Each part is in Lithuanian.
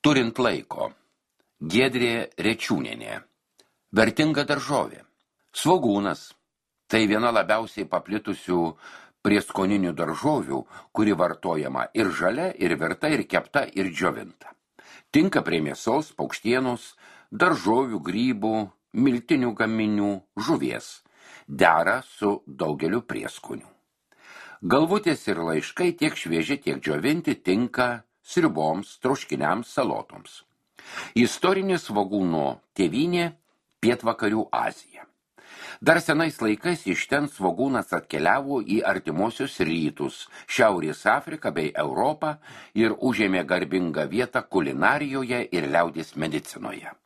Turint laiko. Giedrė Rečiūnienė. Vertinga daržovė. Svogūnas. Tai viena labiausiai paplitusių prieskoninių daržovių, kuri vartojama ir žalia, ir virta, ir kepta, ir džiovinta. Tinka prie mėsos, paukštienos, daržovių, grybų, miltinių gaminių, žuvies. Dera su daugeliu prieskonių. Galvutės ir laiškai tiek švieži, tiek džiovinti tinka sriuboms, troškiniams, salotoms. Istorinė svogūno tėvynė – Pietvakarių Azija. Dar senais laikais iš ten svogūnas atkeliavo į artimuosius rytus, Šiaurės Afriką bei Europą ir užėmė garbingą vietą kulinarijoje ir liaudies medicinoje.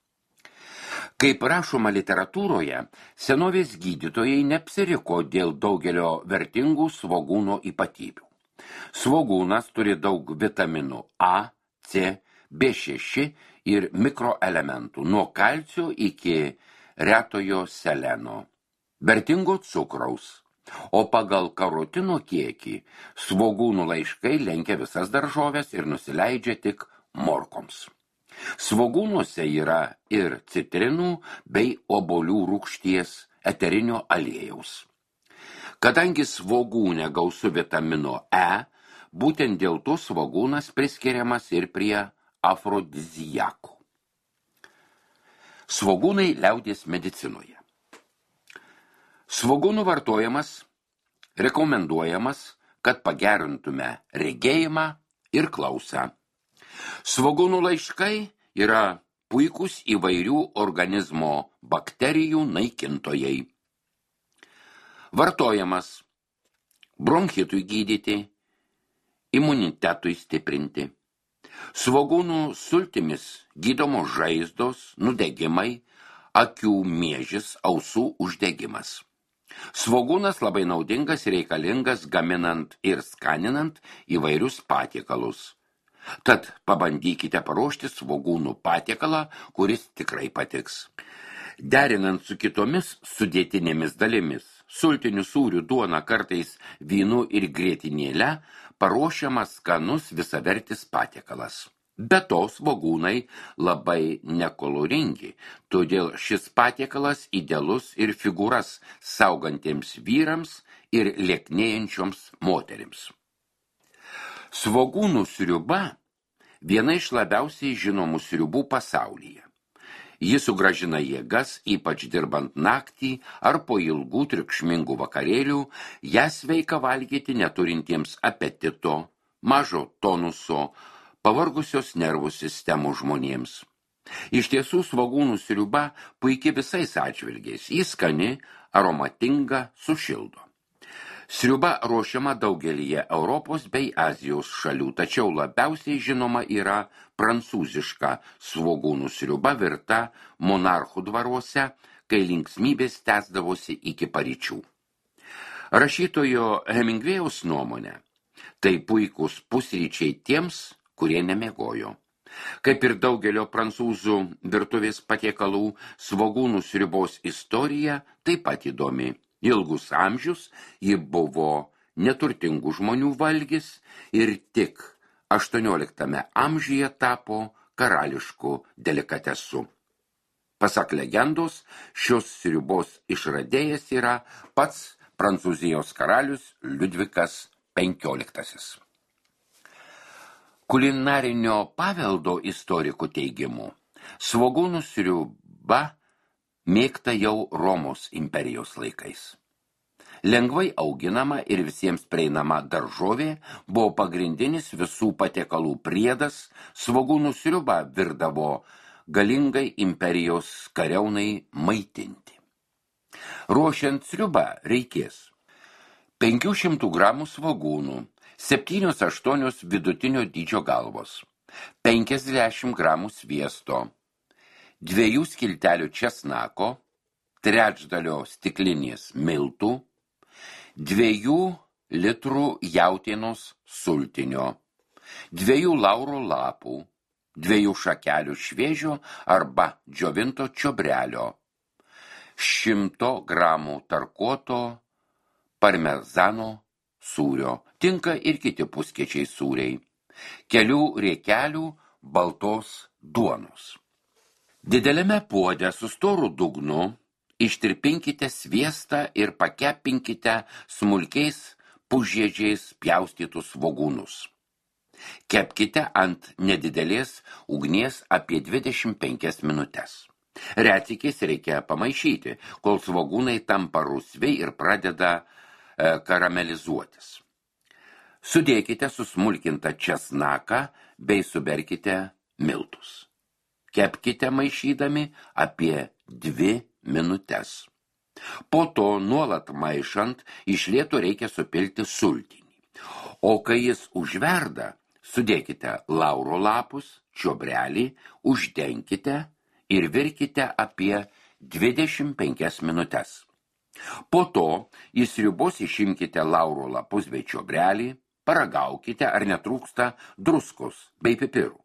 Kaip rašoma literatūroje, senovės gydytojai neapsiriko dėl daugelio vertingų svogūno ypatybių. Svogūnas turi daug vitaminų A, C, B6 ir mikroelementų, nuo kalcio iki retojo seleno, vertingo cukraus, o pagal karotino kiekį svogūnų laiškai lenkia visas daržoves ir nusileidžia tik morkoms. Svogūnuose yra ir citrinų bei obuolių rūgšties eterinio aliejaus. Kadangi svogūne gausu vitamino E, būtent dėl to svogūnas priskiriamas ir prie afrodiziakų. Svogūnai liaudies medicinoje. Svogūnų vartojimas rekomenduojamas, kad pagerintume regėjimą ir klausą. Svogūnų laiškai yra puikūs įvairių organizmo bakterijų naikintojai. Vartojamas bronchitui gydyti, imunitetui stiprinti. Svogūnų sultimis gydomos žaizdos, nudegimai, akių miežis, ausų uždegimas. Svogūnas labai naudingas ir reikalingas gaminant ir skaninant įvairius patiekalus. Tad pabandykite paruošti svogūnų patiekalą, kuris tikrai patiks. Derinant su kitomis sudėtinėmis dalimis, sultinių sūrių duona, kartais vynu ir grietinėle, paruošiamas skanus visavertis patiekalas. Be to svogūnai labai nekoloringi, todėl šis patiekalas idealus ir figūras saugantiems vyrams ir lieknėjančioms moterims. Svogūnų sriuba – viena iš labiausiai žinomų sriubų pasaulyje. Ji sugrąžina jėgas, ypač dirbant naktį ar po ilgų triukšmingų vakarėlių, ją sveika valgyti neturintiems apetito, mažo tonuso, pavargusios nervų sistemų žmonėms. Iš tiesų svogūnų sriuba puikiai visais atžvilgiais, ji skani, aromatinga, sušildo. Sriuba ruošiama daugelyje Europos bei Azijos šalių, tačiau labiausiai žinoma yra prancūziška svogūnų sriuba virta monarchų dvaruose, kai linksmybės tęsdavosi iki paryčių. Rašytojo Hemingvėjaus nuomonė, tai puikūs pusryčiai tiems, kurie nemiegojo. Kaip ir daugelio prancūzų virtuvės patiekalų, svogūnų sriubos istorija taip pat įdomi. Ilgus amžius ji buvo neturtingų žmonių valgis ir tik 18 amžiuje tapo karališku delikatesu. Pasak legendos, šios sriubos išradėjas yra pats Prancūzijos karalius Liudvikas XV. Kulinarinio paveldo istorikų teigimu, svogūnų sriuba mėgta jau Romos imperijos laikais. Lengvai auginama ir visiems prieinama daržovė buvo pagrindinis visų patiekalų priedas, svogūnų sriuba virdavo galingai imperijos kariaunai maitinti. Ruošiant sriubą reikės 500 gramų svogūnų, 7-8 vidutinio dydžio galvos, 50 gramų sviesto, 2 skiltelių česnako, 1/3 stiklinės miltų, 2 litrų jautienos sultinio, 2 lauro lapų, 2 šakelių šviežio arba džiovinto čiobrelio, 100 gramų tarkuoto parmezano sūrio, tinka ir kiti puskiečiai sūriai, kelių riekelių baltos duonos. Dideliame puode su storu dugnu ištirpinkite sviestą ir pakepinkite smulkiais pusžiedžiais pjaustytus svogūnus. Kepkite ant nedidelės ugnies apie 25 minutes. Retsykiais reikia pamaišyti, kol svogūnai tampa rusviai ir pradeda karamelizuotis. Sudėkite susmulkintą česnaką bei suberkite miltus. Kepkite maišydami apie 2 minutes. Po to nuolat maišant iš lėto reikia supilti sultinį. O kai jis užverda, sudėkite lauro lapus, čiobrelį, uždenkite ir virkite apie 25 minutes. Po to į sriubos išimkite lauro lapus bei čiobrelį, paragaukite, ar netrūksta druskos bei pipirų.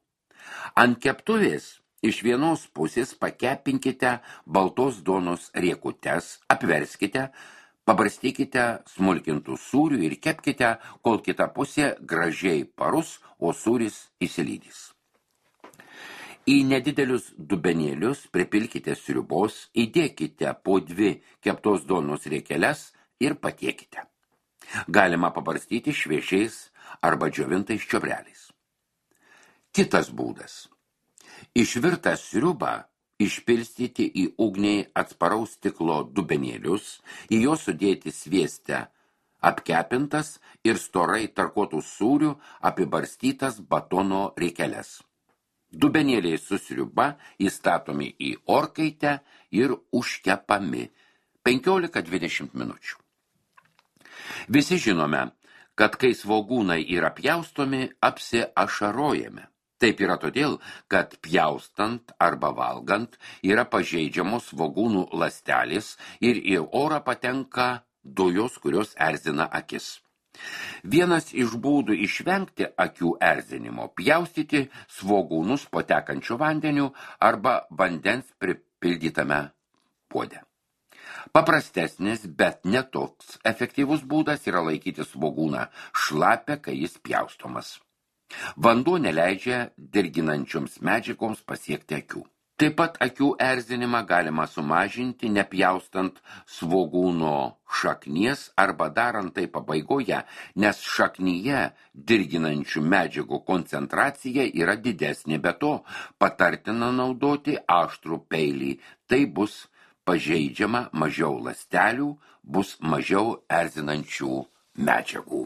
Ant keptuvės iš vienos pusės pakepinkite baltos duonos riekutes, apverskite, pabarstykite smulkintų sūrių ir kepkite, kol kita pusė gražiai parus, o sūris įsilydys. Į nedidelius dubenėlius pripilkite sriubos, įdėkite po 2 keptos duonos riekeles ir patiekite. Galima pabarstyti šviežiais arba džiovintais čiobreliais. Kitas būdas. Išvirtą sriubą išpilstyti į ugnį atsparaus stiklo dubenėlius, į juos sudėti sviestę apkepintas ir storai tarkuotų sūrių apibarstytas batono riekeles. Dubenėliai su sriuba įstatomi į orkaitę ir užkepami 15-20 minučių. Visi žinome, kad kai svogūnai yra pjaustomi, apsiašarojame. Taip yra todėl, kad pjaustant arba valgant yra pažeidžiamos svogūnų ląstelės ir į orą patenka dujos, kurios erzina akis. Vienas iš būdų išvengti akių erzinimo – pjaustyti svogūnus po tekančiu vandeniu arba vandens pripildytame puode. Paprastesnis, bet netoks efektyvus būdas yra laikyti svogūną šlapę, kai jis pjaustomas. Vanduo neleidžia dirginančioms medžiagoms pasiekti akių. Taip pat akių erzinimą galima sumažinti nepjaustant svogūno šaknies arba darant tai pabaigoje, nes šaknyje dirginančių medžiagų koncentracija yra didesnė, be to patartina naudoti aštrų peilį, tai bus pažeidžiama mažiau ląstelių, bus mažiau erzinančių medžiagų.